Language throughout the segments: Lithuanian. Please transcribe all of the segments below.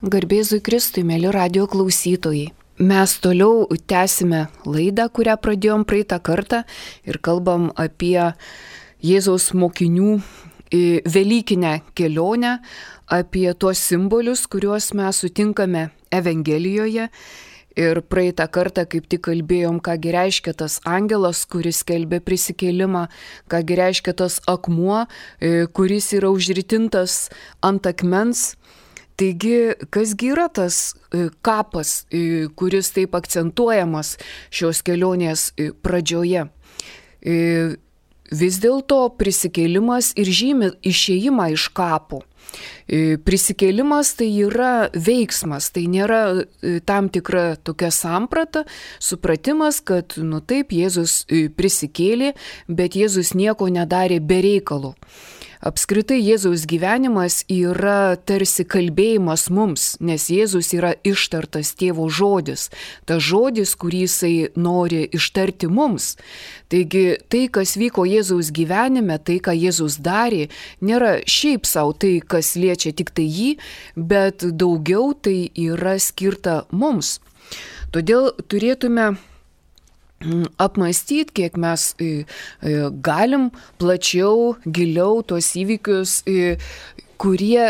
Garbėzui Kristui, mėly radio klausytojai. Mes toliau tęsime laidą, kurią pradėjom praeitą kartą ir kalbam apie Jėzaus mokinių velykinę kelionę, apie tuos simbolius, kuriuos mes sutinkame Evangelijoje. Ir praeitą kartą kaip tik kalbėjom, kągi reiškia tas angelas, kuris skelbė prisikėlimą, kągi reiškia tas akmuo, kuris yra užritintas ant akmens. Taigi, kasgi yra tas kapas, kuris taip akcentuojamas šios kelionės pradžioje? Vis dėlto prisikėlimas ir žymi išėjimą iš kapo. Prisikėlimas tai yra veiksmas, tai nėra tam tikra tokia samprata, supratimas, kad taip, Jėzus prisikėlė, bet Jėzus nieko nedarė be reikalo. Apskritai Jėzaus gyvenimas yra tarsi kalbėjimas mums, nes Jėzus yra ištartas tėvo žodis, tas žodis, kurį jisai nori ištarti mums. Taigi tai, kas vyko Jėzaus gyvenime, tai, ką Jėzus darė, nėra šiaip savo tai, kas liečia tik tai jį, bet daugiau tai yra skirta mums. Todėl turėtume apmąstyti, kiek mes galim plačiau, giliau tuos įvykius, kurie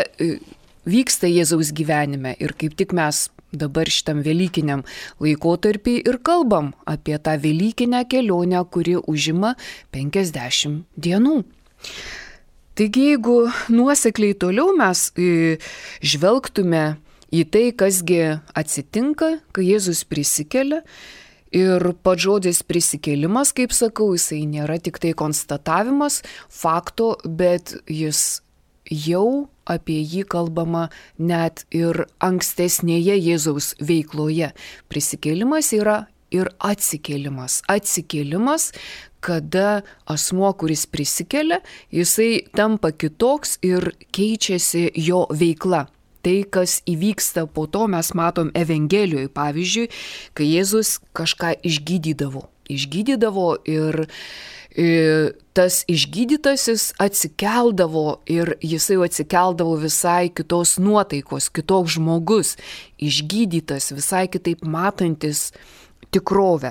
vyksta Jėzaus gyvenime. Ir kaip tik mes dabar šitam velykiniam laikotarpį ir kalbam apie tą velykinę kelionę, kuri užima 50 dienų. Taigi, jeigu nuosekliai toliau mes žvelgtume į tai, kasgi atsitinka, kai Jėzus prisikelia, ir pats žodis prisikėlimas, kaip sakau, jisai nėra tik tai konstatavimas fakto, bet jis jau apie jį kalbama net ir ankstesnėje Jėzaus veikloje. Prisikėlimas yra ir atsikėlimas. Atsikėlimas, kada asmuo, kuris prisikelia, jisai tampa kitoks ir keičiasi jo veikla. Tai, kas įvyksta po to, mes matom Evangelijoje, pavyzdžiui, kai Jėzus kažką išgydydavo ir tas išgydytasis atsikeldavo ir jisai atsikeldavo visai kitos nuotaikos, kitoks žmogus, išgydytas, visai kitaip matantis tikrovę.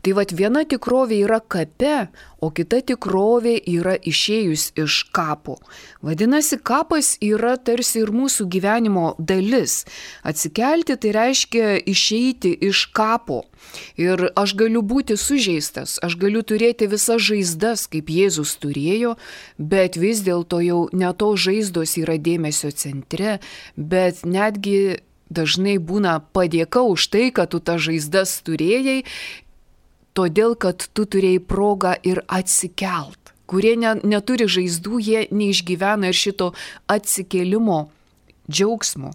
Tai viena tikrovė yra kape, o kita tikrovė yra išėjus iš kapo. Vadinasi, kapas yra tarsi ir mūsų gyvenimo dalis. Atsikelti tai reiškia išeiti iš kapo. Ir aš galiu būti sužeistas, aš galiu turėti visas žaizdas, kaip Jėzus turėjo, bet vis dėlto jau ne to žaizdos yra dėmesio centre, bet netgi dažnai būna padėka už tai, kad tu tą žaizdas turėjai, todėl, kad tu turėjai progą ir atsikelt. Kurie neturi žaizdų, jie neišgyvena ir šito atsikėlimo džiaugsmo.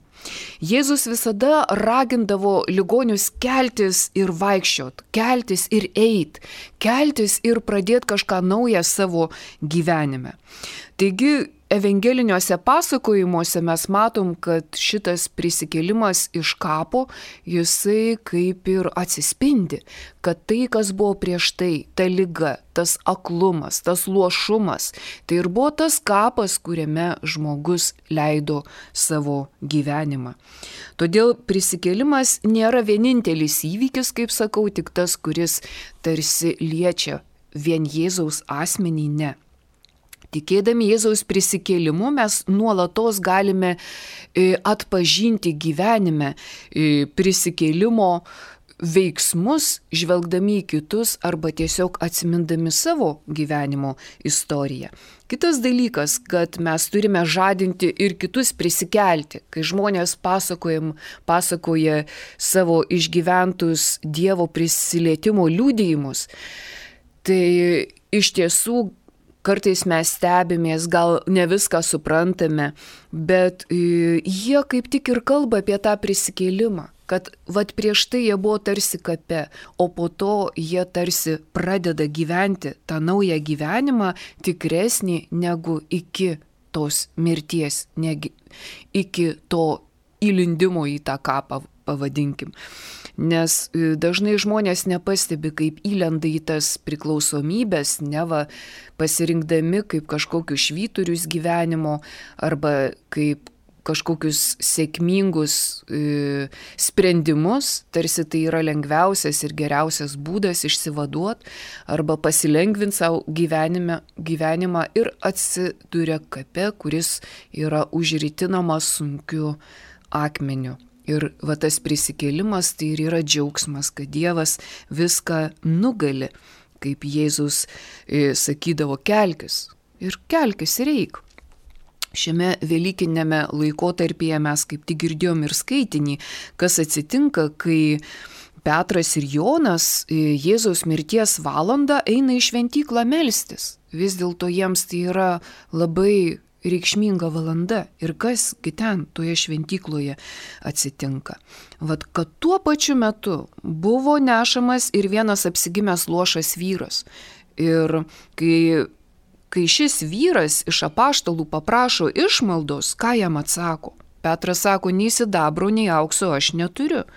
Jėzus visada ragindavo ligonius keltis ir vaikščiot, keltis ir eit, keltis ir pradėti kažką naują savo gyvenime. Taigi, evangeliniuose pasakojimuose mes matom, kad šitas prisikėlimas iš kapo, jisai kaip ir atsispindi, kad tai, kas buvo prieš tai, ta liga, tas aklumas, tas luošumas, tai ir buvo tas kapas, kuriame žmogus leido savo gyvenimą. Todėl prisikėlimas nėra vienintelis įvykis, kaip sakau, tik tas, kuris tarsi liečia vien Jėzaus asmenį, ne. Tikėdami Jėzaus prisikėlimu mes nuolatos galime atpažinti gyvenime prisikėlimo veiksmus, žvelgdami į kitus arba tiesiog atsimindami savo gyvenimo istoriją. Kitas dalykas, kad mes turime žadinti ir kitus prisikelti, kai žmonės pasakoja savo išgyventus Dievo prisilietimo liudijimus, tai iš tiesų kartais mes stebimės, gal ne viską suprantame, bet jie kaip tik ir kalba apie tą prisikėlimą, kad prieš tai jie buvo tarsi kape, o po to jie tarsi pradeda gyventi tą naują gyvenimą tikresnį negu iki tos mirties, negi iki to įlindimo į tą kapą, pavadinkim. Nes dažnai žmonės nepastebi, kaip įlenda į tas priklausomybės, neva pasirinkdami kaip kažkokius švyturius gyvenimo, arba kaip kažkokius sėkmingus sprendimus, tarsi tai yra lengviausias ir geriausias būdas išsivaduoti arba pasilengvinti savo gyvenimą ir atsiduria kape, kuris yra užritinamas sunkiu akmeniu. Ir va tas prisikėlimas tai ir yra džiaugsmas, kad Dievas viską nugali, kaip Jėzus sakydavo, kelkis ir eik. Šiame velykinėme laikotarpyje mes kaip tik girdėjom ir skaitinį, kas atsitinka, kai Petras ir Jonas Jėzaus mirties valandą eina į šventyklą melstis. Vis dėlto jiems tai yra labai reikšminga valanda. Ir kasgi ten toje šventykloje atsitinka. Vat, kad tuo pačiu metu buvo nešamas ir vienas apsigimęs luošas vyras. Ir kai šis vyras iš apaštalų paprašo išmaldos, ką jam atsako? Petras sako, nei sidabro, nei aukso aš neturiu.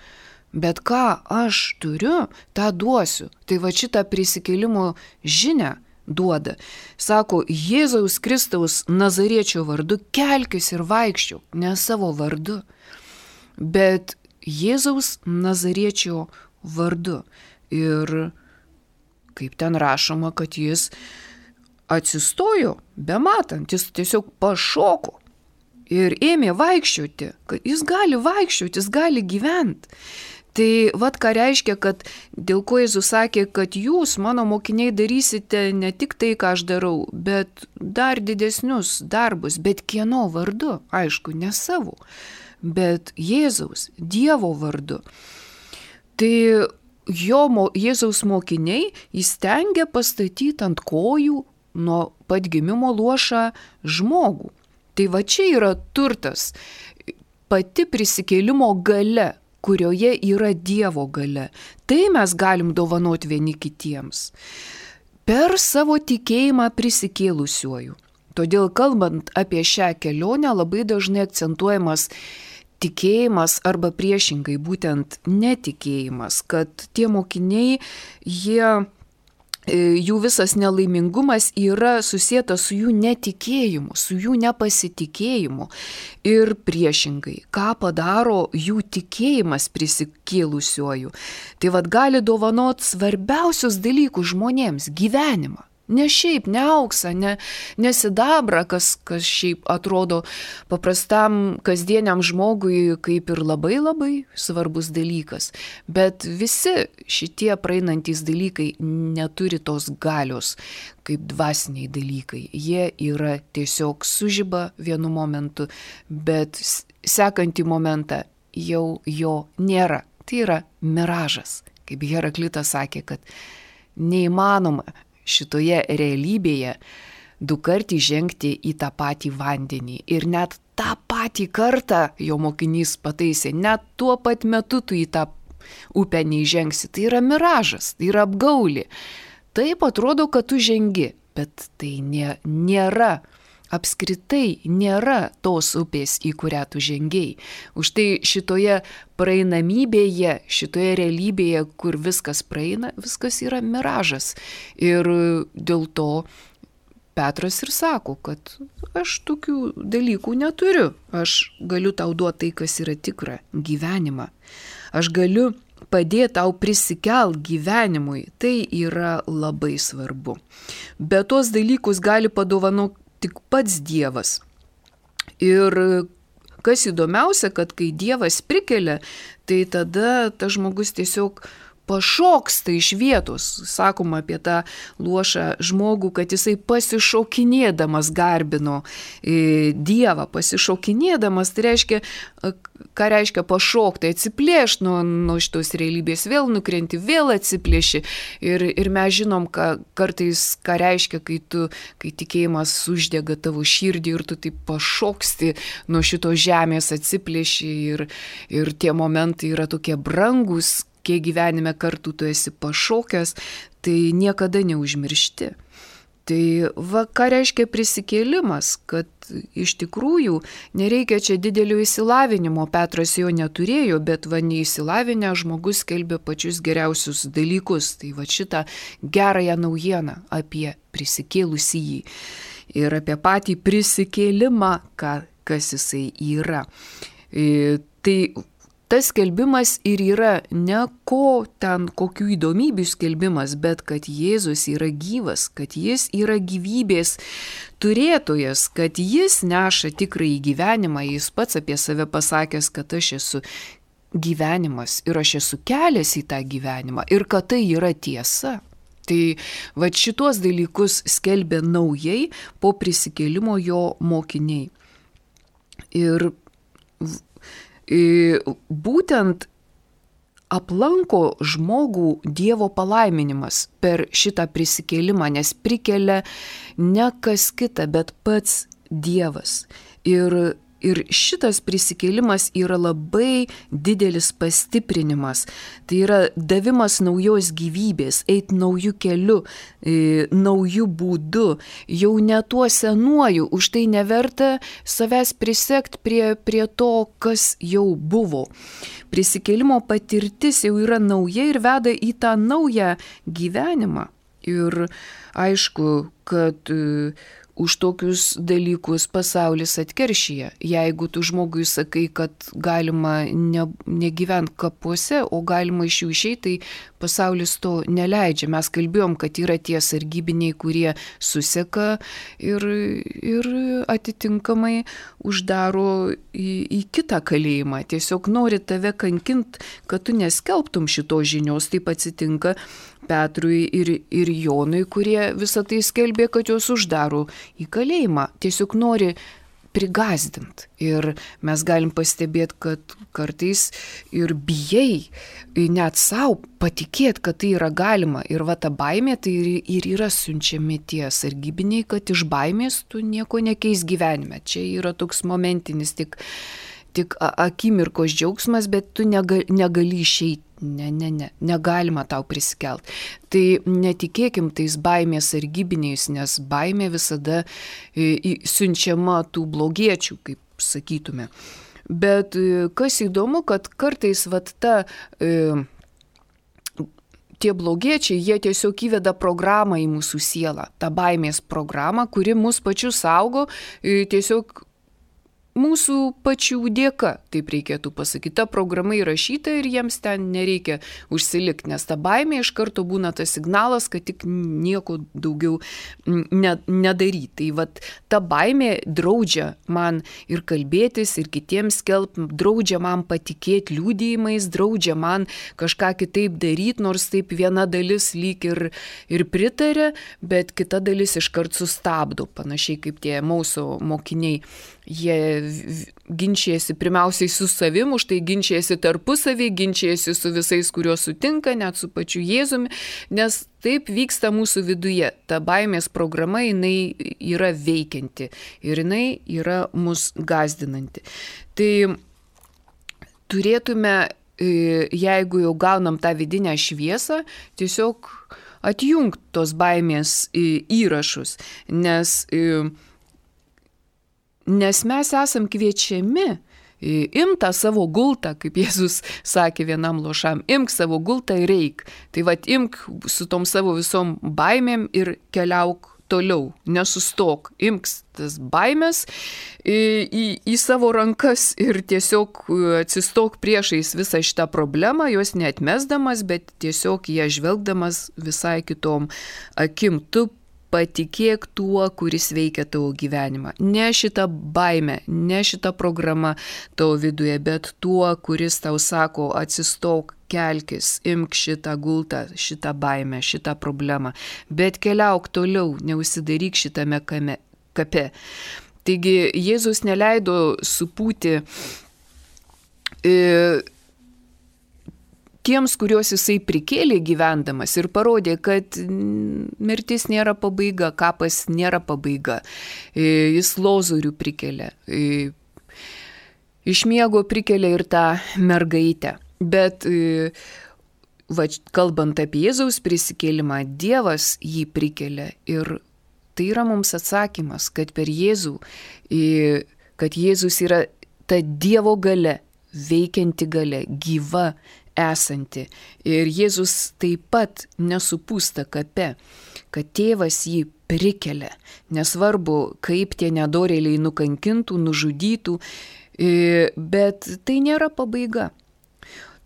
Bet ką aš turiu, tą duosiu. Tai va šitą prisikėlimo žinią duoda. Sako, Jėzaus Kristaus Nazariečio vardu kelkis ir vaikščiok, ne savo vardu, bet Jėzaus Nazariečio vardu. Ir kaip ten rašoma, kad jis atsistojo, bematant, jis tiesiog pašoko ir ėmė vaikščioti, kad jis gali vaikščioti, jis gali gyventi. Tai vat ką reiškia, kad dėl ko Jėzus sakė, kad jūs, mano mokiniai, darysite ne tik tai, ką aš darau, bet dar didesnius darbus, bet kieno vardu, aišku, ne savo, bet Jėzaus, Dievo vardu. Tai Jėzaus mokiniai įstengia pastatyti ant kojų nuo pat gimimo luošą žmogų. Tai va čia yra turtas, pati prisikėlimo galia, kurioje yra Dievo galia. Tai mes galim dovanoti vieni kitiems per savo tikėjimą prisikėlusiuoju. Todėl kalbant apie šią kelionę labai dažnai akcentuojamas tikėjimas arba priešingai būtent netikėjimas, kad tie mokiniai, jų visas nelaimingumas yra susietas su jų netikėjimu, su jų nepasitikėjimu. Ir priešingai, ką padaro jų tikėjimas prisikėlusiuoju. Tai vad gali dovanot svarbiausius dalykus žmonėms - gyvenimą. Ne šiaip, ne auksą, ne sidabrą, kas šiaip atrodo paprastam kasdieniam žmogui kaip ir labai labai svarbus dalykas. Bet visi šitie praeinantys dalykai neturi tos galios kaip dvasiniai dalykai. Jie yra tiesiog sužiba vienu momentu, bet sekantį momentą jau jo nėra. Tai yra miražas. Kaip Heraklitas sakė, kad neįmanoma šitoje realybėje du kartį žengti į tą patį vandenį. Ir net tą patį kartą, jo mokinys pataisė, net tuo pat metu tu į tą upę neįžengsi. Tai yra miražas, tai yra apgaulė. Taip atrodo, kad tu žengi, bet tai nėra. Apskritai nėra tos upės, į kurią tu žengiai. Už tai šitoje praeinamybėje, šitoje realybėje, kur viskas praeina, viskas yra miražas. Ir dėl to Petras ir sako, kad aš tokių dalykų neturiu. Aš galiu tau duoti tai, kas yra tikra - gyvenimą. Aš galiu padėti tau prisikelt gyvenimui. Tai yra labai svarbu. Bet tos dalykus gali padovanoti tik pats Dievas. Ir kas įdomiausia, kad kai Dievas prikelia, tai tada tas žmogus tiesiog pašoksta iš vietos. Sakoma apie tą luošą žmogų, kad jisai pasišokinėdamas garbino Dievą. Pasišokinėdamas, tai reiškia, ką reiškia pašokti, atsiplėšti nuo šitos realybės, vėl nukrenti, vėl atsiplėši. Ir mes žinom, kartais, ką reiškia, kai tikėjimas uždega tavo širdį ir tu taip pašoksti nuo šitos žemės, atsiplėši ir tie momentai yra tokie brangus, kiek gyvenime kartų tu esi pašokęs, tai niekada neužmiršti. Tai va, ką reiškia prisikėlimas, kad iš tikrųjų nereikia čia didelio išsilavinimo, Petras jo neturėjo, bet va neįsilavinę žmogus skelbė pačius geriausius dalykus. Tai va šitą gerąją naujieną apie prisikėlusįjį ir apie patį prisikėlimą, ką kas jisai yra. Tai tas skelbimas ir yra ne kokių įdomybių skelbimas, bet kad Jėzus yra gyvas, kad jis yra gyvybės turėtojas, kad jis neša tikrąjį gyvenimą. Jis pats apie save pasakęs, kad aš esu gyvenimas ir aš esu kelias į tą gyvenimą ir kad tai yra tiesa. Tai va šitos dalykus skelbė naujai po prisikėlimo jo mokiniai. Ir būtent aplanko žmogų Dievo palaiminimas per šitą prisikėlimą, nes prikelia ne kas kita, bet pats Dievas. Ir šitas prisikėlimas yra labai didelis pastiprinimas. Tai yra davimas naujos gyvybės, eiti naujų kelių, naujų būdų, jau ne tuo senuoju, už tai neverta savęs prisekti prie to, kas jau buvo. Prisikėlimo patirtis jau yra nauja ir veda į tą naują gyvenimą. Ir aišku, kad už tokius dalykus pasaulis atkeršyja. Jeigu tu žmogui sakai, kad galima negyventi kapuose, o galima iš jų išeiti, tai pasaulis to neleidžia. Mes kalbėjom, kad yra tie sargybiniai, kurie suseka ir atitinkamai uždaro į kitą kalėjimą. Tiesiog nori tave kankint, kad tu neskelbtum šitos žinios. Taip atsitinka Petrui ir Jonui, kurie visą tai skelbė, kad juos uždaro į kalėjimą. Tiesiog nori prigazdint. Ir mes galim pastebėti, kad kartais ir bijai net savo patikėti, kad tai yra galima. Ir va ta baimė, tai ir yra siunčiami tie sargybiniai, kad iš baimės tu nieko nekeis gyvenime. Čia yra toks momentinis tik akimirkos džiaugsmas, bet tu negali išeiti. Negalima tau prisikelt. Tai netikėkim tais baimės sargybiniais, nes baimė visada siunčiama tų blogiečių, kaip sakytume. Bet kas įdomu, kad kartais tie blogiečiai, jie tiesiog įveda programą į mūsų sielą, tą baimės programą, kuri mus pačius saugo tiesiog mūsų pačių dėka, taip reikėtų pasakyti. Ta programa įrašyta ir jiems ten nereikia užsilikti, nes ta baimė iš karto būna tas signalas, kad tik nieko daugiau nedaryti. Tai ta baimė draudžia man ir kalbėtis, ir kitiems skelbti, draudžia man patikėti liudijimais, draudžia man kažką kitaip daryti, nors taip viena dalis lyg ir pritarė, bet kita dalis iškart sustabdo, panašiai kaip tie Emauso mokiniai. Jie ginčijasi pirmiausiai su savim, už tai ginčijasi tarpusavį, ginčijasi su visais, kuriuos sutinka, net su pačiu Jėzumi, nes taip vyksta mūsų viduje. Ta baimės programa, jinai yra veikianti ir jinai yra mus gąsdinanti. Tai turėtume, jeigu jau gaunam tą vidinę šviesą, tiesiog atjungti tos baimės įrašus, nes mes esam kviečiami imk tą savo gultą, kaip Jėzus sakė vienam luošam, imk savo gultą ir eik. Tai imk su tom savo visom baimėm ir keliauk toliau, nesustok, imk tas baimės į savo rankas ir tiesiog atsistok priešais visą šitą problemą, jos neatmesdamas, bet tiesiog ją žvelgdamas visai kitom akim. Tu patikėk tuo, kuris veikia tavo gyvenimą. Ne šitą baimę, ne šitą programą tavo viduje, bet tuo, kuris tau sako, atsistok, kelkis, imk šitą gultą, šitą baimę, šitą problemą. Bet keliauk toliau, neužsidaryk šitame kape. Taigi Jėzus neleido supūti tiems, kuriuos jisai prikėlė gyvendamas ir parodė, kad mirtis nėra pabaiga, kapas nėra pabaiga. Jis Lozorių prikėlė. Iš miego prikėlė ir tą mergaitę. Bet kalbant apie Jėzaus prisikėlimą, Dievas jį prikėlė. Ir tai yra mums atsakymas, kad per Jėzų, kad Jėzus yra ta Dievo galia, veikianti galia, gyva, esanti. Ir Jėzus taip pat nesupūsta kape, kad tėvas jį prikelia. Nesvarbu, kaip tie nedorėliai nukankintų, nužudytų, bet tai nėra pabaiga.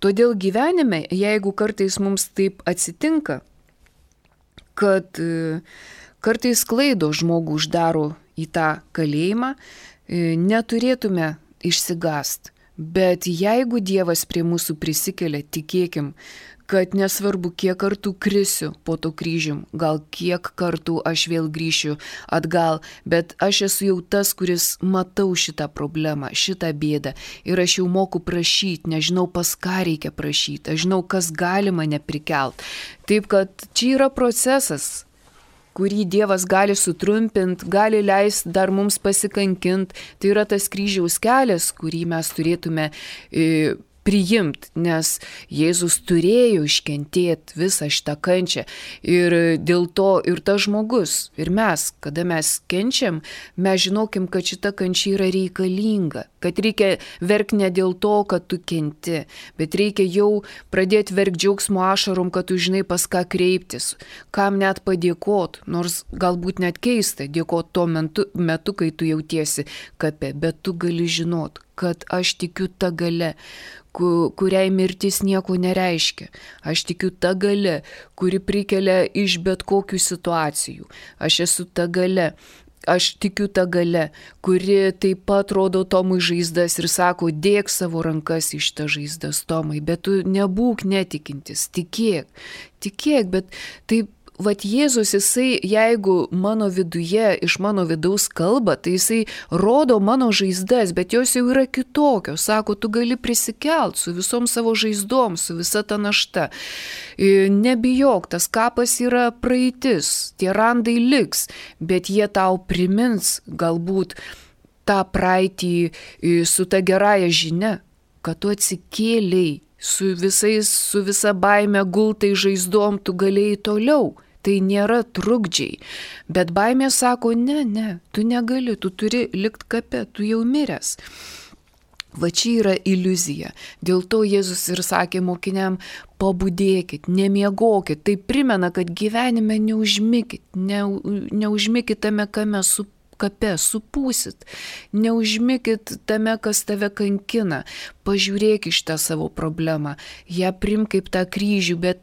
Todėl gyvenime, jeigu kartais mums taip atsitinka, kad kartais klaido žmogų uždaro į tą kalėjimą, neturėtume išsigąsti. Bet jeigu Dievas prie mūsų prisikelia, tikėkim, kad nesvarbu, kiek kartų krisiu po to kryžium, gal kiek kartų aš vėl grįšiu atgal, bet aš esu jau tas, kuris matau šitą problemą, šitą bėdą ir aš jau moku prašyti, nežinau pas ką reikia prašyti, aš žinau, kas gali mane prikelt. Taip kad čia yra procesas, kurį Dievas gali sutrumpinti, gali leisti dar mums pasikankinti. Tai yra tas kryžiaus kelias, kurį mes turėtume priimti, nes Jėzus turėjo iškentėti visą šitą kančią. Ir dėl to ir tas žmogus, ir mes, kada mes kenčiam, mes žinokim, kad šita kančia yra reikalinga, kad reikia verkti ne dėl to, kad tu kenti, bet reikia jau pradėti verkti džiaugsmo ašarom, kad tu žinai pas ką kreiptis, kam net padėkot, nors galbūt net keista dėkot tuo metu, kai tu jautiesi kape, bet tu gali žinot, kad aš tikiu tą galę, kuriai mirtis nieko nereiškia. Aš tikiu tą galę, kuri prikelia iš bet kokių situacijų. Aš esu tą galę. Aš tikiu tą galę, kuri taip pat rodo Tomui žaizdas ir sako, dėk savo rankas iš tą žaizdas, Tomai, bet tu nebūk netikintis, tikėk, bet taip, vat Jėzus, jisai, jeigu mano viduje, iš mano vidaus kalba, tai jisai rodo mano žaizdas, bet jos jau yra kitokios. Sako, tu gali prisikelt su visom savo žaizdom, su visa ta našta. Nebijok, tas kapas yra praeitis, tie randai liks, bet jie tau primins galbūt tą praeitį su ta gerąja žinia, kad tu atsikėliai, su visa baime gultai žaizdom tu galėjai toliau. Tai nėra trukdžiai, bet baimė sako, ne, tu negali, tu turi likt kape, tu jau miręs. Va čia yra iliuzija. Dėl to Jėzus ir sakė mokiniam, pabudėkit, nemiegokit. Tai primena, kad gyvenime neužmikit, neužmikit tame kape, supūsit. Neužmikit tame, kas tave kankina. Pažiūrėk iš tą savo problemą. Ją primk kaip tą kryžių, bet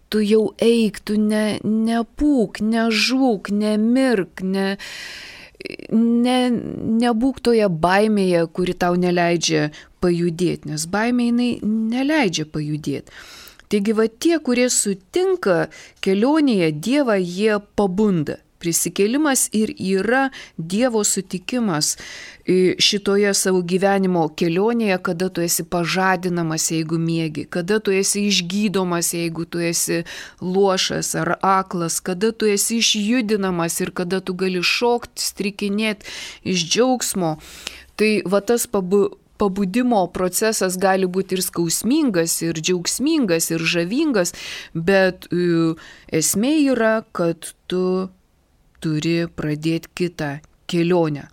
tu jau eik, tu nepūk, nežūk, nemirk, nebūk toje baimėje, kuri tau neleidžia pajudėti, nes baimė jinai neleidžia pajudėti. Taigi va tie, kurie sutinka kelionėje Dievą, jie pabunda. Prisikėlimas ir yra Dievo sutikimas šitoje savo gyvenimo kelionėje, kada tu esi pažadinamas, jeigu miegi, kada tu esi išgydomas, jeigu tu esi luošas ar aklas, kada tu esi išjudinamas ir kada tu gali šokti, strikinėti iš džiaugsmo. Tai va tas pabudimo procesas gali būti ir skausmingas, ir džiaugsmingas, ir žavingas, bet esmė yra, kad tu turi pradėti kitą kelionę.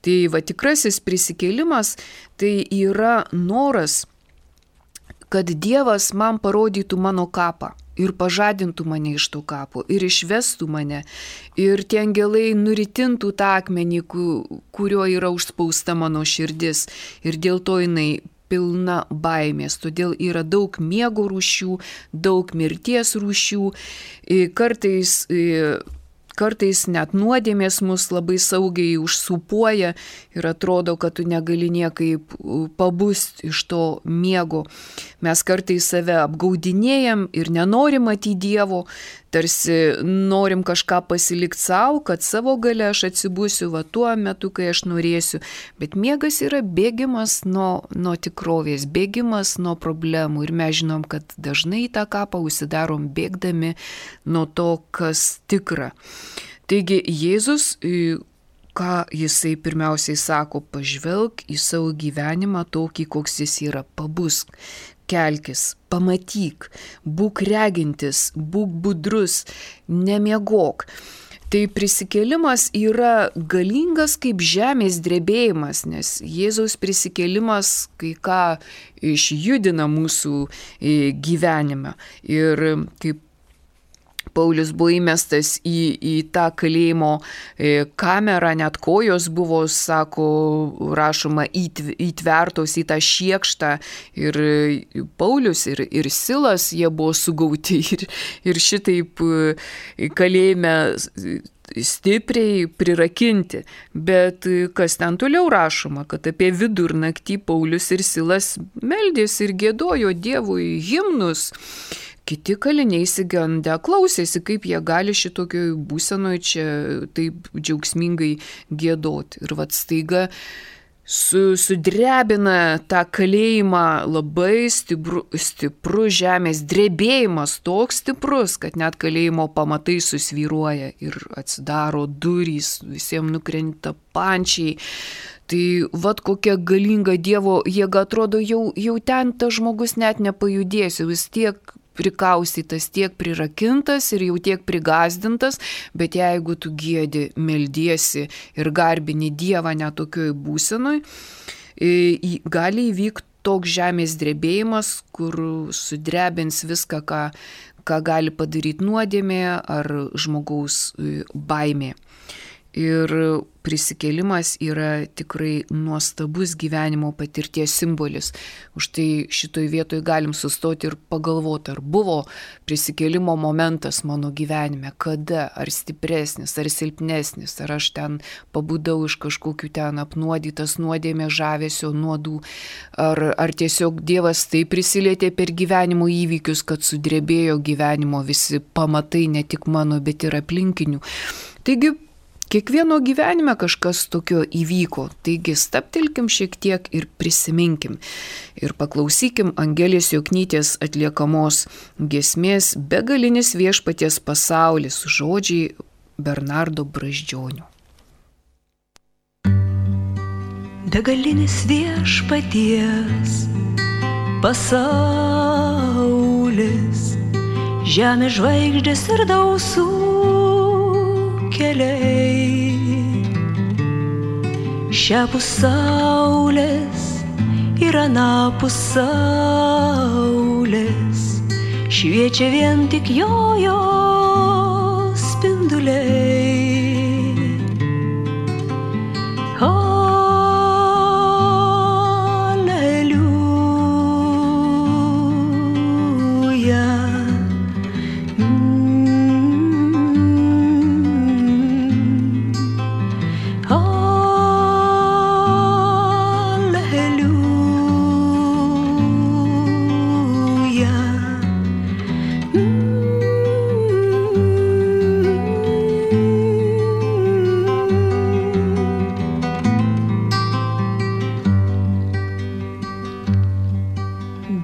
Tai va tikrasis prisikėlimas tai yra noras, kad Dievas man parodytų mano kapą ir pažadintų mane iš to kapo ir išvestų mane ir tie angelai nuritintų tą akmenį, kurio yra užspausta mano širdis ir dėl to jinai pilna baimės, todėl yra daug miego rūšių, daug mirties rūšių, kartais net nuodėmės mus labai saugiai užsupuoja ir atrodo, kad tu negali niekaip pabusti iš to miego. Mes kartais save apgaudinėjam ir nenorim matyti Dievo, tarsi norim kažką pasilikti savo, kad savo gale aš atsibusiu va tuo metu, kai aš norėsiu. Bet miegas yra bėgimas nuo tikrovės, bėgimas nuo problemų ir mes žinom, kad dažnai tą kapą užsidarom bėgdami nuo to, kas tikra. Taigi Jėzus, ką jisai pirmiausiai sako, pažvelk į savo gyvenimą tokį, koks jis yra, pabusk, kelkis, pamatyk, būk regintis, būk budrus, nemiegok. Tai prisikėlimas yra galingas kaip žemės drebėjimas, nes Jėzaus prisikėlimas kai ką išjudina mūsų gyvenime. Ir kaip Paulius buvo įmestas į tą kalėjimo kamerą, net kojos buvo, sako, rašoma, įtvertos į tą šiekštą. Ir Paulius ir Silas, jie buvo sugauti ir šitaip kalėjime stipriai prirakinti. Bet kas ten toliau rašoma, kad apie vidurnaktį Paulius ir Silas meldėsi ir giedojo Dievui himnus. Kiti kaliniai išsigandę klausėsi, kaip jie gali šitokioj būsenoje čia taip džiaugsmingai giedoti. Ir vat staiga sudrebina tą kalėjimą labai stipru žemės drebėjimas, toks stiprus, kad net kalėjimo pamatai susvyruoja ir atsidaro durys, visiems nukrenta pančiai. Tai vat kokia galinga Dievo jėga, atrodo, jau ten tas žmogus net nepajudės, jau jis tiek prikaustytas, tiek prirakintas ir jau tiek prigazdintas, bet jeigu tu giedi, meldiesi ir garbini Dievą net tokioj būsenoj, gali įvykti toks žemės drebėjimas, kur sudrebins viską, ką gali padaryti nuodėmė ar žmogaus baimė. Ir prisikėlimas yra tikrai nuostabus gyvenimo patirties simbolis. Už tai šitoj vietoj galim sustoti ir pagalvoti, ar buvo prisikėlimo momentas mano gyvenime, kada, ar stipresnis, ar silpnesnis, ar aš ten pabudau iš kažkokių ten apnuodytas nuodėmės žavesio nuodų, ar tiesiog Dievas taip prisilietė per gyvenimo įvykius, kad sudrebėjo gyvenimo visi pamatai, ne tik mano, bet ir aplinkinių. Taigi, kiekvieno gyvenime kažkas tokio įvyko, taigi stabtelkim šiek tiek ir prisiminkim. Ir paklausykim Angelės Joknytės atliekamos giesmės Begalinis viešpaties pasaulis, žodžiai Bernardo Brazdžionio. Begalinis viešpaties pasaulis, žemės žvaigždės ir dausų keliai, šiapus saulės ir anapus saulės, šviečia vien tik jo spinduliai.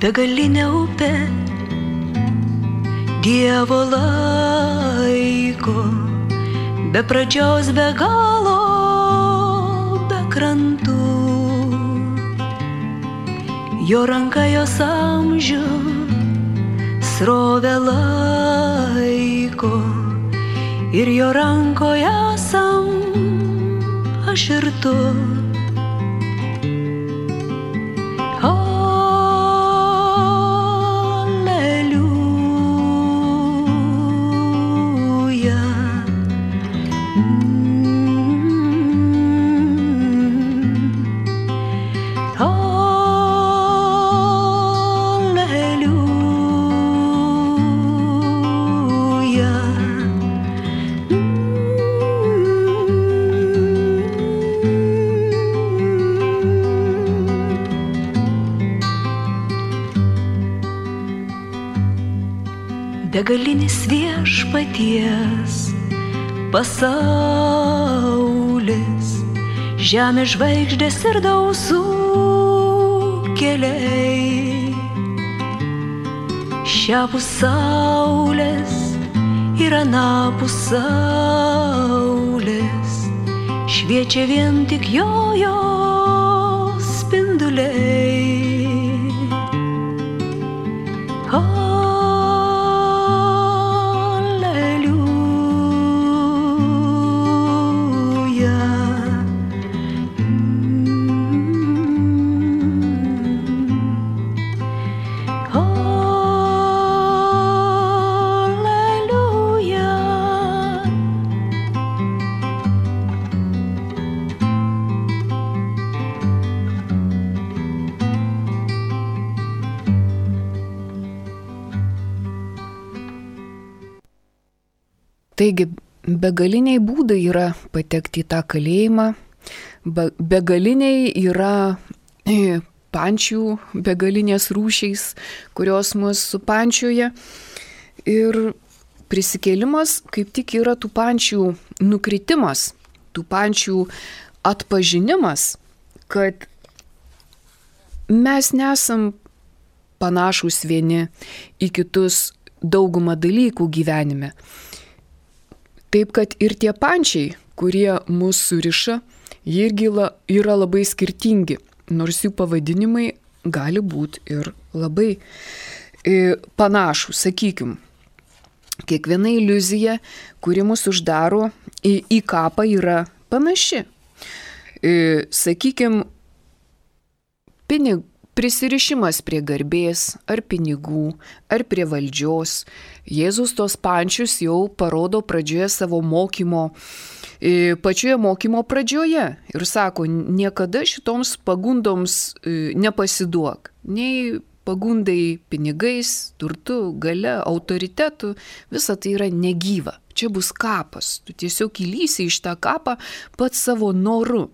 Begalinė upė Dievo laiko, be pradžios, be galo, be krantų. Jo ranka jos amžių srovę laiko ir jo rankoje esam aš ir tu. Begalinis viešpaties pasaulis, žemės žvaigždės ir dausų keliai, šiapus saulės ir anapus saulės, šviečia vien tik jo spinduliai. Taigi, begaliniai būdai yra patekti į tą kalėjimą, begaliniai yra pančių, begalinės rūšiais, kurios mus supančioja. Ir prisikėlimas kaip tik yra tų pančių nukritimas, tų pančių atpažinimas, kad mes nesam panašus vieni į kitus daugumą dalykų gyvenime. Taip, kad ir tie pančiai, kurie mus suriša, jie irgi yra labai skirtingi, nors jų pavadinimai gali būti ir labai panašus. Sakykim, kiekviena iliuzija, kuri mus uždaro į kapą, yra panaši. Sakykim, prisirišimas prie garbės, ar pinigų, ar prie valdžios. Jėzus tos pančius jau parodo pradžioje savo mokymo, pačioje mokymo pradžioje. Ir sako, niekada šitoms pagundoms nepasiduok. Nei pagundai pinigais, turtu, gale, autoritetu, visa tai yra negyva. Čia bus kapas. Tu tiesiog įlysi iš tą kapą pats savo noru.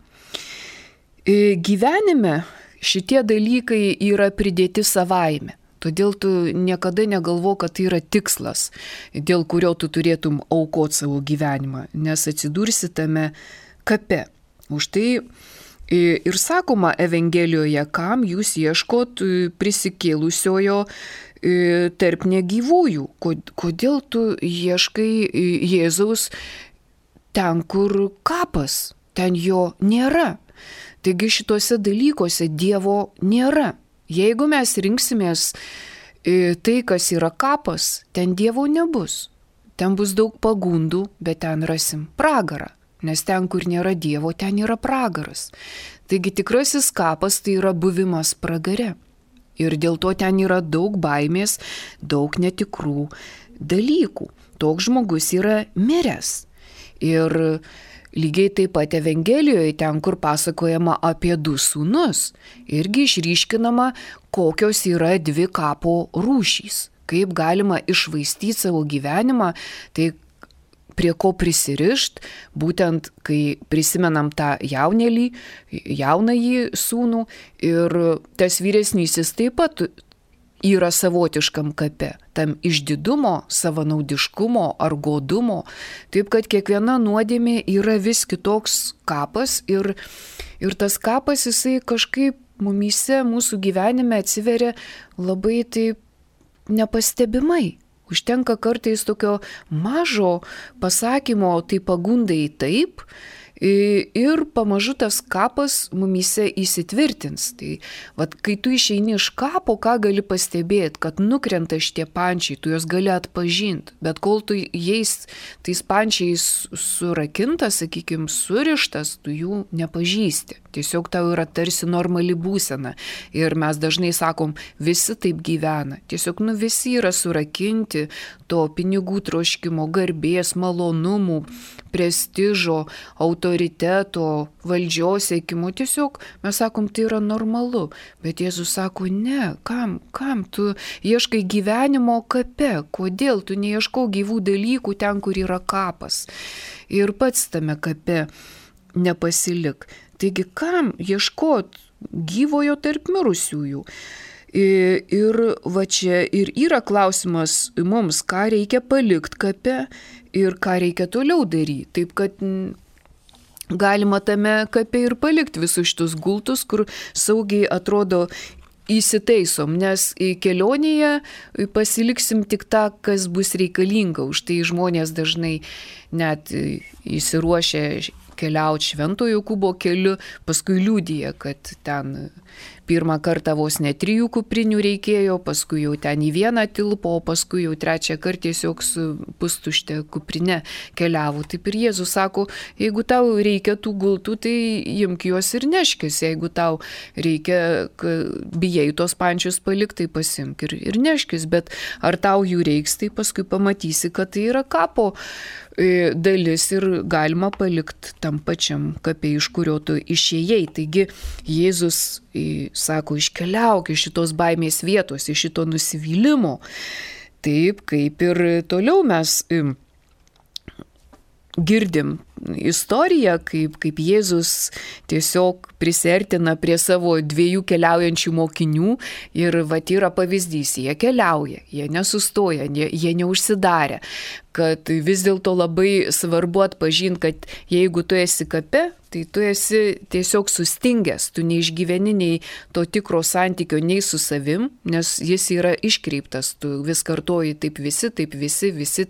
Gyvenime šitie dalykai yra pridėti savaime. Todėl tu niekada negalvo, kad tai yra tikslas, dėl kurio tu turėtum aukoti savo gyvenimą, nes atsidursi tame kape. Už tai ir sakoma Evangelijoje, kam jūs ieškot prisikėlusiojo tarp negyvųjų. Kodėl tu ieškai Jėzaus ten, kur kapas, ten jo nėra. Taigi šituose dalykuose Dievo nėra. Jeigu mes rinksimės tai, kas yra kapas, ten Dievo nebus. Ten bus daug pagundų, bet ten rasim pragarą. Nes ten, kur nėra Dievo, ten yra pragaras. Taigi tikrasis kapas tai yra buvimas pragare. Ir dėl to ten yra daug baimės, daug netikrų dalykų. Toks žmogus yra miręs. Ir lygiai taip pat Evangelijoje, ten, kur pasakojama apie du sūnus, irgi išryškinama, kokios yra dvi kapo rūšys. Kaip galima iššvaistyti savo gyvenimą, tai prie ko prisirišt, būtent kai prisimenam tą jaunąjį sūnų, ir tas vyresnysis taip pat yra savotiškam kape, tam išdidumo, savanaudiškumo ar godumo. Taip, kad kiekviena nuodėmė yra vis kitoks kapas ir tas kapas jisai kažkaip mumyse, mūsų gyvenime atsiveria labai taip nepastebimai. Užtenka kartais tokio mažo pasakymo, tai pagundai taip, ir pamažu tas kapas mumyse įsitvirtins. Tai kai tu išeini iš kapo, ką gali pastebėti, kad nukrenta šitie pančiai, tu juos gali atpažinti, bet kol tu jais tais pančiais surakintas, sakykime, surištas, tu jų nepažįsti. Tiesiog tau yra tarsi normali būsena. Ir mes dažnai sakom, visi taip gyvena. Tiesiog visi yra surakinti to pinigų troškimo, garbės, malonumų, prestižo, autoriteto, valdžios siekimo. Tiesiog mes sakom, tai yra normalu. Bet Jėzus sako, ne, kam tu ieškai gyvenimo kape? Kodėl tu neieškau gyvų dalykų ten, kur yra kapas? Ir pats tame kape nepasilik. Taigi, kam ieškot gyvojo tarp mirusiųjų? Ir va čia ir yra klausimas mums, ką reikia palikti kape ir ką reikia toliau daryti. Taip, kad galima tame kape ir palikti visus šitus gultus, kur saugiai atrodo įsitaisom, nes kelionėje pasiliksim tik tą, kas bus reikalinga. Už tai žmonės dažnai net įsiruošę keliauti Šventojo Jokūbo keliu, paskui liudija, kad ten pirmą kartą vos ne 3 kuprinių reikėjo, paskui jau ten į vieną tilpo, o paskui jau trečią kartą tiesiog su pustušte kuprinė keliavo. Taip ir Jėzus sako, jeigu tau reikia tų gultų, tai imk juos ir neškis. Jeigu tau reikia, bijai tos pančius palikti, tai pasimk ir neškis. Bet ar tau jų reiks, tai paskui pamatysi, kad tai yra kapo dalis ir galima palikti tam pačiam kape, iš kurio tu išėjai. Taigi Jėzus sako, iškeliauk iš šitos baimės vietos, iš šito nusivylimo. Taip, kaip ir toliau mes girdim istoriją, kaip Jėzus tiesiog prisiartina prie savo 2 keliaujančių mokinių ir vat yra pavyzdys, jie keliauja, jie nesustoja, jie neužsidarė, kad vis dėlto labai svarbu atpažinti, kad jeigu tu esi kape, tai tu esi tiesiog sustingęs, tu neišgyveni nei to tikro santykio nei su savim, nes jis yra iškreiptas, tu vis kartoji taip visi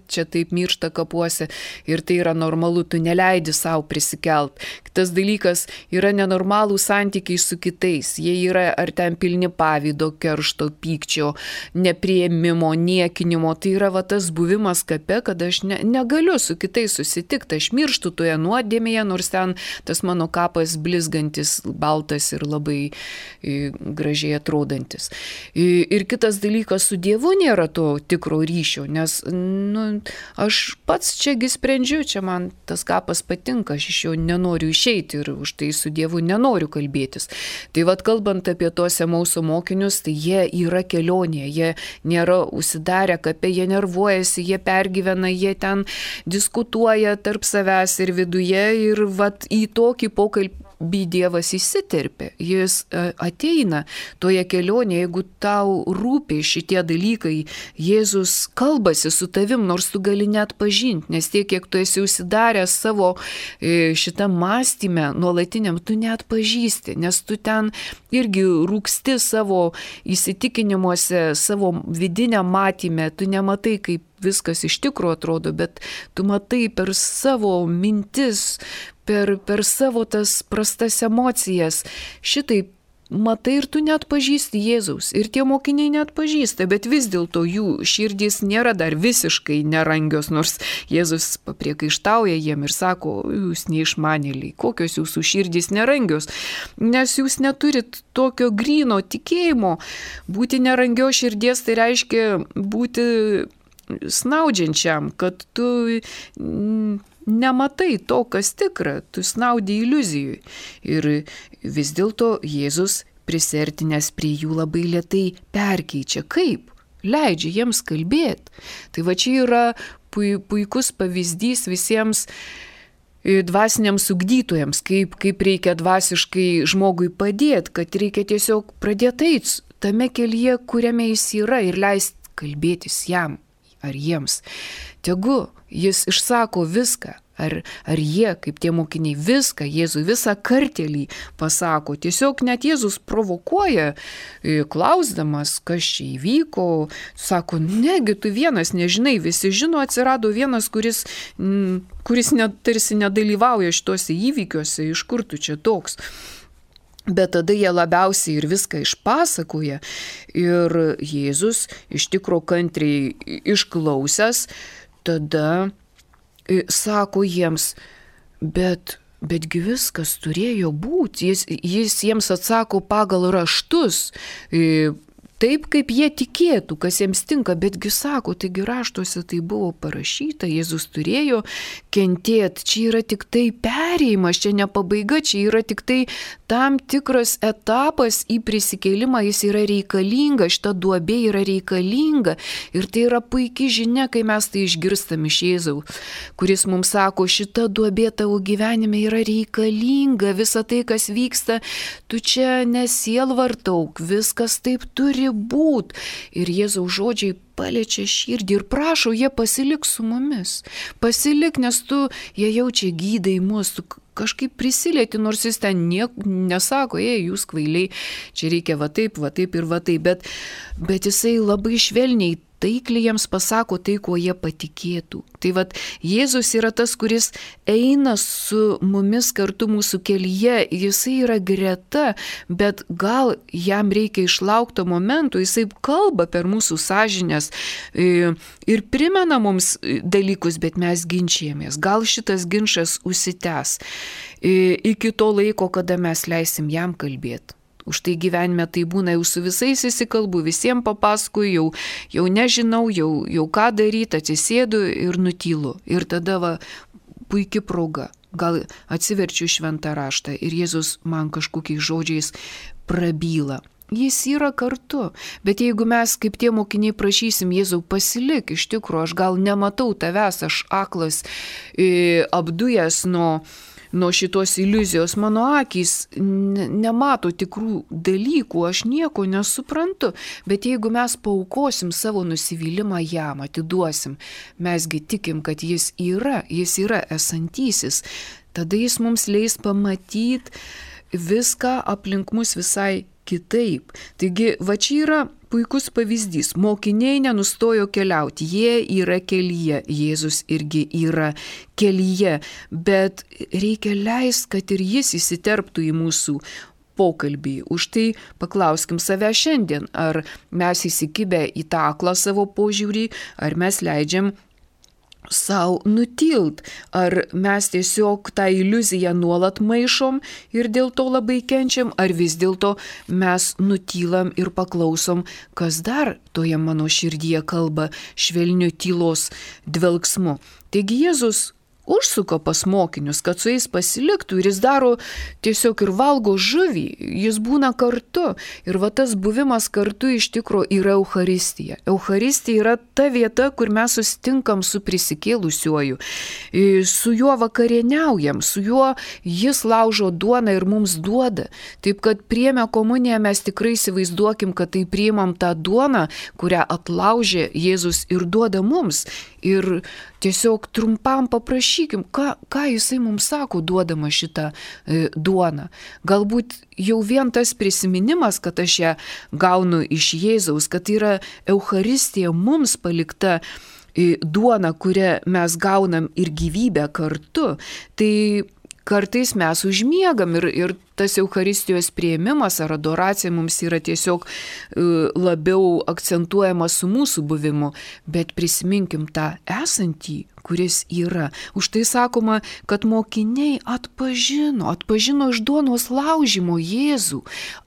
čia taip miršta kapuose ir tai yra normalu, tu neleidi savo prisikelt. Kitas dalykas yra nenormalų santykiai su kitais, jie yra ar ten pilni pavydo, keršto, pykčio, nepriėmimo, niekinimo, tai yra va tas buvimas kape, kad aš negaliu su kitais susitikti, aš mirštu toje nuodėmėje, nors ten tas mano kapas blizgantis, baltas ir labai gražiai atrodantis. Ir kitas dalykas, su Dievu nėra to tikro ryšio, nes aš pats čiagi sprendžiu, čia man tas kapas patinka, aš iš jo nenoriu išeiti ir už tai su Dievu nenoriu kalbėtis. Tai vad kalbant apie tos Emauso mokinius, tai jie yra kelionėje, jie nėra užsidarę kape, jie nervuojasi, jie pergyvena, jie ten diskutuoja tarp savęs ir viduje ir vat į tokį pokalbį Dievas įsiterpia. Jis ateina toje kelionėje, jeigu tau rūpi šitie dalykai, Jėzus kalbasi su tavim, nors tu gali net pažinti, nes tiek, kiek tu esi užsidaręs savo šitam mąstyme nuolatiniam, tu net pažįsti, nes tu ten irgi rūksti savo įsitikinimuose, savo vidiniam matyme, tu nematai, kaip viskas iš tikrųjų atrodo, bet tu matai per savo mintis, per savo tas prastas emocijas. Šitaip matai ir tu net pažįsti Jėzaus. Ir tie mokiniai net pažįsta, bet vis dėlto jų širdys nėra dar visiškai nerangios, nors Jėzus papriekaištauja jiem ir sako, jūs neišmanėliai, kokios jūsų širdys nerangios, nes jūs neturit tokio gryno tikėjimo. Būti nerangio širdies tai reiškia būti snaudžiančiam, kad tu nematai to, kas tikra, tu snaudi iliuzijui. Ir vis dėlto Jėzus prisertinęs prie jų labai lėtai perkeičia. Kaip? Leidžia jiems kalbėti. Tai va čia yra puikus pavyzdys visiems dvasiniams ugdytojams, kaip reikia dvasiškai žmogui padėti, kad reikia tiesiog pradėti eiti tame kelyje, kuriame jis yra ir leisti kalbėtis jam ar jiems. Tegu jis išsako viską, ar jie, kaip tie mokiniai, viską, Jėzui visą kartelį pasako. Tiesiog net Jėzus provokuoja, klausdamas, kas čia įvyko, sako, negi tu vienas nežinai, visi žino, atsirado vienas, kuris tarsi nedalyvauja šituose įvykiuose, iš kur tu čia toks. Bet tada jie labiausiai ir viską išpasakoja ir Jėzus iš tikro kantriai išklausęs, tada sako jiems, betgi viskas turėjo būti. Jis jiems atsako pagal raštus, taip, kaip jie tikėtų, kas jiems tinka, betgi sako, taigi raštuose tai buvo parašyta, Jėzus turėjo kentėti, čia yra tik tai perėjimas, čia ne pabaiga, čia yra tik tai tam tikras etapas į prisikėlimą, jis yra reikalinga, šita duobė yra reikalinga ir tai yra puikia žinia, kai mes tai išgirstam iš Jėzaus, kuris mums sako, šita duobė tavo gyvenime yra reikalinga, visa tai, kas vyksta, tu čia nesielvartauk, viskas taip turi būt. Ir Jėzaus žodžiai paliečia širdį ir prašo, jie pasilik su mumis. Pasilik, nes tu, jie jaučia gydai mus, tu kažkaip prisilieti, nors jis ten nesako, jūs kvailiai, čia reikia va taip ir va taip, bet jisai labai švelniai, taikliai jiems pasako tai, ko jie patikėtų. Tai vat Jėzus yra tas, kuris eina su mumis kartu mūsų kelyje, jisai yra greta, bet gal jam reikia išlaukto momento, jisai kalba per mūsų sąžinės ir primena mums dalykus, bet mes ginčijamės. Gal šitas ginčas užsitęs iki to laiko, kada mes leisim jam kalbėti. Už tai gyvenime tai būna, jau su visais įsikalbu, visiems papasakoju, jau nežinau, jau ką daryti, atsisėdu ir nutylu. Ir tada puikia proga. Gal atsiverčiu šventą raštą ir Jėzus man kažkokiais žodžiais prabyla. Jis yra kartu, bet jeigu mes kaip tie mokiniai prašysim Jėzau pasilik, iš tikrųjų aš gal nematau tavęs, aš aklas, apdujęs nuo šitos iliuzijos, mano akys nemato tikrų dalykų, aš nieko nesuprantu, bet jeigu mes paaukosim savo nusivylimą jam, atiduosim, mesgi tikim, kad jis yra esantysis, tada jis mums leis pamatyti viską aplink mus visai kitaip. Taigi, va čia yra puikus pavyzdys. Mokiniai nenustojo keliauti, jie yra kelyje, Jėzus irgi yra kelyje, bet reikia leisti, kad ir jis įsiterptų į mūsų pokalbį. Už tai paklauskim save šiandien, ar mes įsikibę į tą aklą savo požiūrį, ar mes leidžiam sau nutilt, ar mes tiesiog tą iliuziją nuolat maišom ir dėl to labai kenčiam, ar vis dėlto mes nutylam ir paklausom, kas dar toje mano širdyje kalba švelniu tylos dvelksmu. Taigi Jėzus užsuko pas mokinius, kad su jais pasiliktų ir jis daro tiesiog ir valgo žuvį, jis būna kartu. Ir va tas buvimas kartu iš tikro yra Eucharistija. Eucharistija yra ta vieta, kur mes susitinkam su prisikėlusiuoju, su juo vakarieniaujam, su juo jis laužo duoną ir mums duoda. Taip kad priėmę komuniją mes tikrai įsivaizduokim, kad tai priimam tą duoną, kurią atlaužė Jėzus ir duoda mums. Ir tiesiog trumpam paprašykim, ką jisai mums sako, duodama šitą duoną. Galbūt jau vien tas prisiminimas, kad aš ją gaunu iš Jėzaus, kad yra Eucharistija mums palikta duona, kurią mes gaunam ir gyvybę kartu, tai kartais mes užmiegam ir tas Eucharistijos priėmimas ar adoracija mums yra tiesiog labiau akcentuojamas su mūsų buvimu, bet prisiminkim tą esantį, kuris yra. Už tai sakoma, kad mokiniai atpažino iš duonos laužymo Jėzų,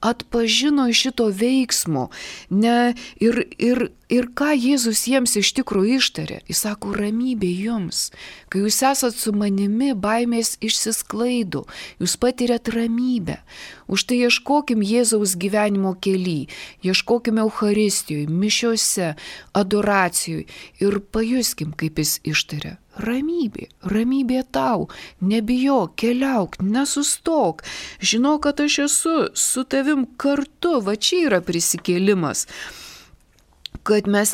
atpažino iš šito veiksmo. Ir ką Jėzus jiems iš tikrųjų ištarė? Jis sako, ramybė jums. Kai jūs esat su manimi, baimės išsisklaido, jūs patiriat ramybę. Už tai ieškokim Jėzaus gyvenimo kely, ieškokim Eucharistijoje, mišiose, adoracijoje ir pajuskim, kaip jis ištarė. Ramybė tau, nebijok, keliauk, nesustok, žinok, kad aš esu su tavim kartu, va čia yra prisikėlimas. Kad mes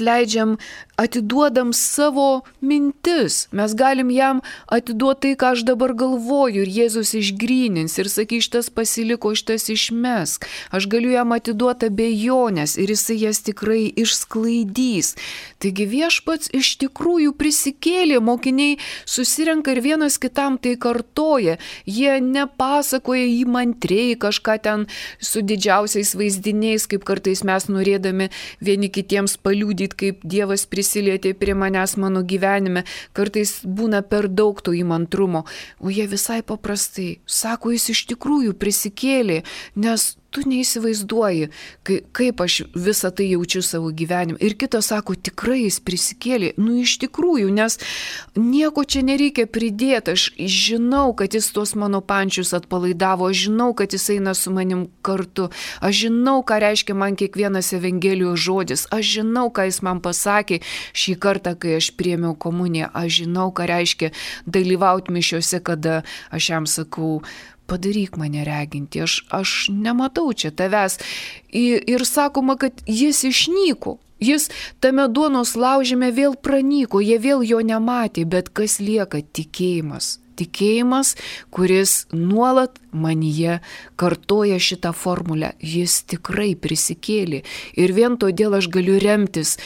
atiduodam savo mintis, mes galim jam atiduoti tai, ką aš dabar galvoju ir Jėzus išgrynins ir sakys, šitas pasiliko, šitas išmesk. Aš galiu jam atiduoti abejonės ir jisai jas tikrai išsklaidys. Taigi Viešpats iš tikrųjų prisikėlė, mokiniai susirenka ir vienas kitam tai kartoja. Jie nepasakoja įmantriai kažką ten su didžiausiais vaizdiniais, kaip kartais mes norėdami vieni kitiems paliudyti, kaip Dievas prisilietė prie manęs mano gyvenime. Kartais būna per daug to įmantrumo, o jie visai paprastai sako, jis iš tikrųjų prisikėlė, nes tu neįsivaizduoji, kaip aš visą tai jaučiu savo gyvenime. Ir kitas sako, tikrai jis prisikėlė. Iš tikrųjų, nes nieko čia nereikia pridėti. Aš žinau, kad jis tuos mano pančius atpalaidavo. Aš žinau, kad jis eina su manim kartu. Aš žinau, ką reiškia man kiekvienas Evangelijos žodis. Aš žinau, ką jis man pasakė šį kartą, kai aš priėmiau komuniją. Aš žinau, ką reiškia dalyvauti mišiuose, kada aš jam sakau, padaryk mane reginti, aš nematau čia tavęs. Ir sakoma, kad jis išnyko. Jis tame duonos laužime vėl pranyko, jie vėl jo nematė, bet kas lieka? Tikėjimas. Tikėjimas, kuris nuolat manyje kartoja šitą formulę. Jis tikrai prisikėlė. Ir vien todėl aš galiu remtis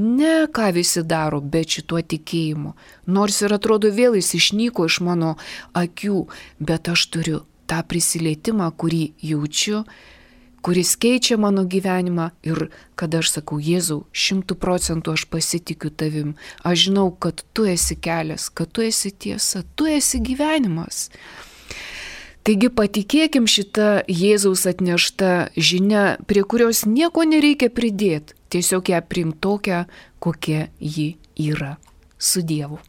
ne ką visi daro, bet šituo tikėjimu. Nors ir atrodo vėl jis išnyko iš mano akių, bet aš turiu tą prisilietimą, kurį jaučiu, kuris keičia mano gyvenimą ir kada aš sakau, Jėzau, 100% aš pasitikiu tavim, aš žinau, kad tu esi kelias, kad tu esi tiesa, tu esi gyvenimas. Taigi patikėkim šitą Jėzaus atneštą žinią, prie kurios nieko nereikia pridėti, tiesiog ją priimti tokią, kokia ji yra. Su Dievu.